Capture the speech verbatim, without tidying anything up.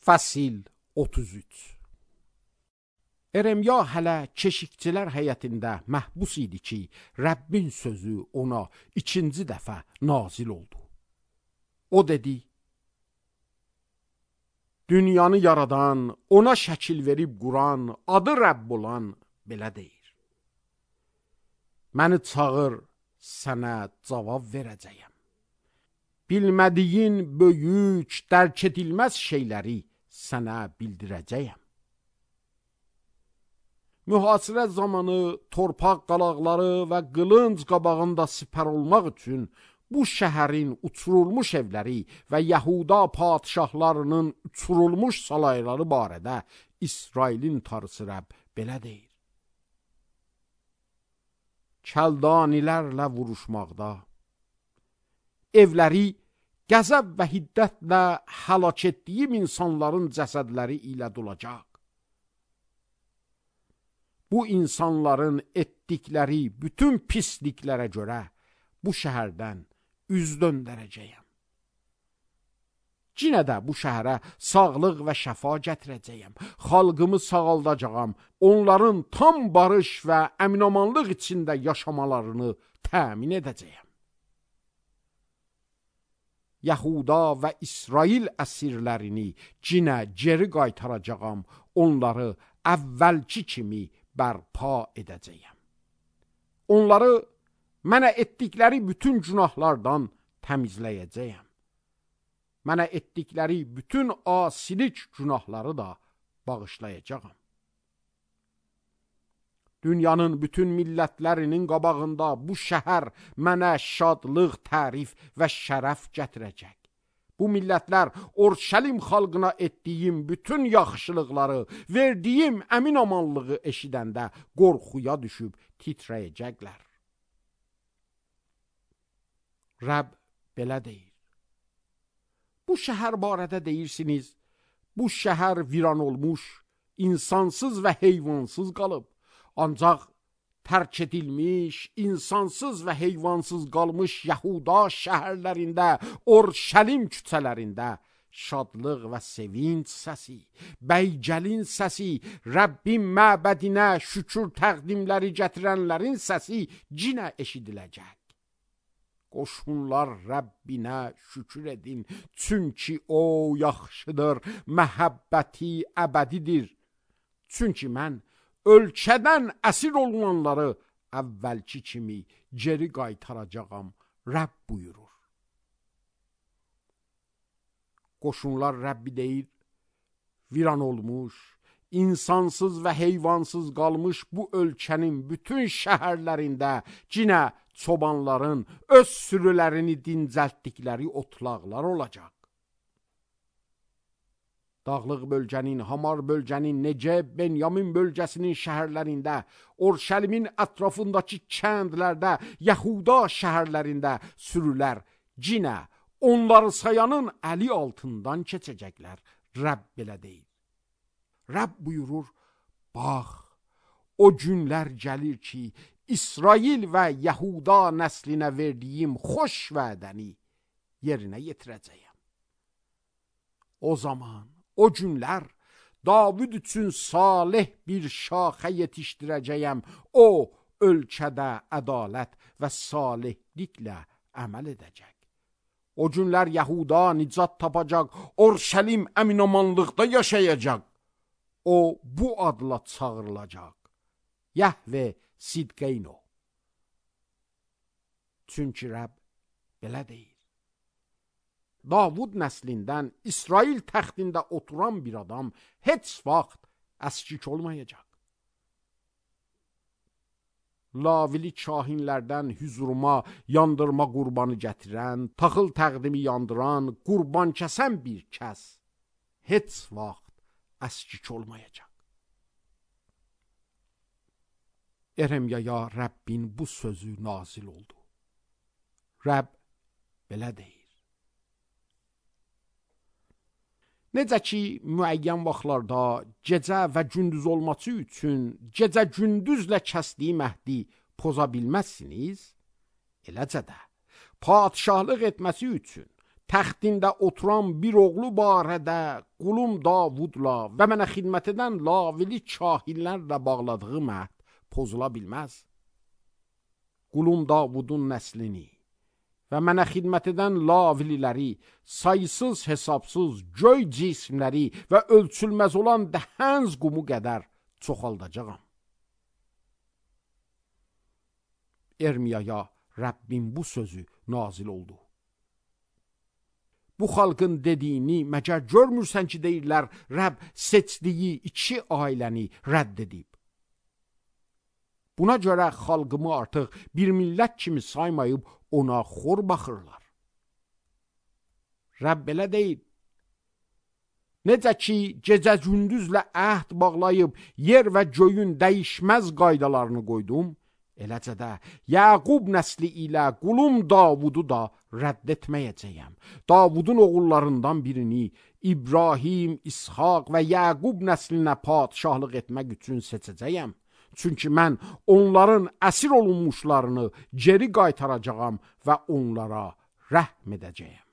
Fəsil otuz üç. Eremya hələ keşikçilər həyətində məhbus idi ki, Rəbbin sözü ona ikinci dəfə nazil oldu. O dedi: Dünyanı yaradan, ona şəkil verib quran, adı Rəbb olan belə deyir: Məni çağır, sənə cavab verəcəyəm. Bilmədiyin böyük, dərk edilməz şeyləri sənə bildirəcəyəm. Mühasirə zamanı torpaq qalaqları və qılınc qabağında sipər olmaq üçün bu şəhərin uçurulmuş evləri və Yahuda padişahlarının uçurulmuş salayları barədə İsrailin tarısı Rəbb belə deyir: Kəldanilərlə vuruşmaqda, evləri qəzəb və hiddətlə həlak etdiyim insanların cəsədləri ilə dolacaq. Bu insanların etdikləri bütün pisliklərə görə bu şəhərdən üz döndərəcəyəm. Cinə də bu şəhərə sağlıq və şəfa gətirəcəyəm. Xalqımı sağaldacağam. Onların tam barış və əminamanlıq içində yaşamalarını təmin edəcəyəm. Yahuda və İsrail əsirlərini cinə geri qaytaracağam. Onları əvvəlki kimi bərpa edəcəyəm. Onları mənə etdikləri bütün günahlardan təmizləyəcəyəm. Mənə etdikləri bütün asilik günahları da bağışlayacağam. Dünyanın bütün millətlərinin qabağında bu şəhər mənə şadlıq, tərif və şərəf gətirəcək. Bu millətlər Orşəlim xalqına etdiyim bütün yaxşılıqları, verdiyim əmin amanlığı eşidəndə qorxuya düşüb titrəyəcəklər. Rəbb belə deyir: Bu şəhər barədə deyirsiniz, bu şəhər viran olmuş, insansız və heyvansız qalıb. Ancaq tərk edilmiş, insansız və heyvansız qalmış Yahuda şəhərlərində, Orşəlim küçələrində şadlıq və sevinç səsi, bəygəlin səsi, Rəbbin məbədinə şükür təqdimləri gətirənlərin səsi cinə eşidiləcək. Qoşunlar Rəbbinə şükür edin, çünki o yaxşıdır, məhəbbəti əbədidir. Çünki mən ölkədən əsir olunanları əvvəlki kimi geri qaytaracağam, Rəbb buyurur. Qoşunlar Rəbbi deyir: Viran olmuş, insansız və heyvansız qalmış bu ölkənin bütün şəhərlərində cinə çobanların öz sürülərini dincəltdikləri otlaqlar olacaq. Dağlıq bölgənin, Hamar bölgənin, Neceb, Benyamin bölgəsinin şəhərlərində, Orşəlimin ətrafındakı kəndlərdə, Yahuda şəhərlərində sürülər cinə onları sayanın əli altından keçəcəklər. Rəbb belə deyir. Rəbb buyurur: Bax, o günlər gəlir ki, İsrail və Yahuda nəslinə verdiyim xoş vədəni yerinə yetirəcəyəm. O zaman, o günlər David üçün salih bir şaxə yetişdirəcəyəm. O, ölkədə ədalət və salihliklə əməl edəcək. O günlər Yahuda nicat tapacaq, Orşəlim əminamanlıqda yaşayacaq. O, bu adla çağırılacaq: Yəhve Sidqeyno. Çünki Rəbb belə deyir: Davud nəslindən İsrail təxtində oturan bir adam heç vaxt əskik olmayacaq. Lavili kahinlərdən hüzuruma yandırma qurbanı gətirən, taxıl təqdimi yandıran, qurban kəsən bir kəs heç vaxt əskik olmayacaq. Eremyaya Rəbbin bu sözü nazil oldu. Rəbb belə deyir: Necə ki, müəyyən vaxtlarda gecə və gündüz olması üçün gecə gündüzlə kəsdiyi əhdi poza bilməzsiniz, eləcə də padişahlıq etməsi üçün, təxtində oturan bir oğlu barədə qulum Davudla və mənə xidmət edən lavili kahillərlə bağladığım əhd pozula bilməz. Qulum Davudun nəslini və mənə xidmət edən lavililəri, sayısız hesabsız göy cismləri və ölçülməz olan dəhənz qumu qədər çoxaldacağam. Ermiyaya Rəbbin bu sözü nazil oldu. Bu xalqın dediyini məgər görmürsən ki, deyirlər, Rəbb seçdiyi iki ailəni rədd edib. Buna görə xalqımı artıq bir millət kimi saymayıb ona xor baxırlar. Rəbb belə deyil. Necə ki, gecə gündüzlə əhd bağlayıb yer və göyün dəyişməz qaydalarını qoydum, eləcə də Yaqub nəsli ilə qulum Davudu da rədd etməyəcəyəm. Davudun oğullarından birini İbrahim, İshaq və Yaqub nəslinə padşahlıq etmək üçün seçəcəyəm. Çünki mən onların əsir olunmuşlarını geri qaytaracağam və onlara rəhm edəcəyəm.